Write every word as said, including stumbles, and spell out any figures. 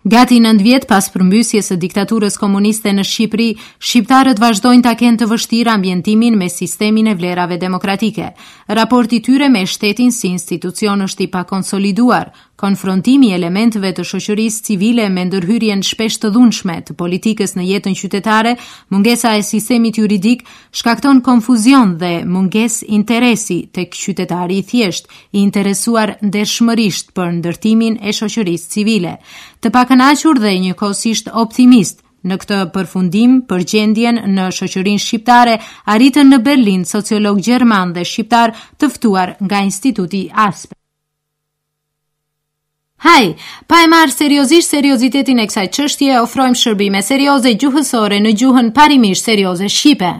Gati nëntë vjet pas përmbysjes së diktaturës komuniste në Shqipëri, shqiptarët vazhdojnë ta kenë të vështirë ambientimin me sistemin e vlerave demokratike. Raporti i tyre me shtetin si institucion është i pakonsoliduar. Konfrontimi i elementëve të shoqërisë civile me ndërhyrjen shpesh të dhunshme të politikës në jetën qytetare, mungesa e sistemit juridik shkakton konfuzion dhe mungesë interesi tek qytetari i thjeshtë, i interesuar ndershmërisht për ndërtimin e shoqërisë civile. Të pakënaqur dhe njëkohësisht optimist në këtë përfundim për gjendjen në shoqërinë shqiptare arritën në Berlin sociolog gjerman dhe shqiptar të ftuar nga Instituti Aspen. Haj, pa e marrë seriozisht seriozitetin e kësaj çështje, ofrojmë shërbime serioze gjuhësore në gjuhën parimisht serioze shqipe.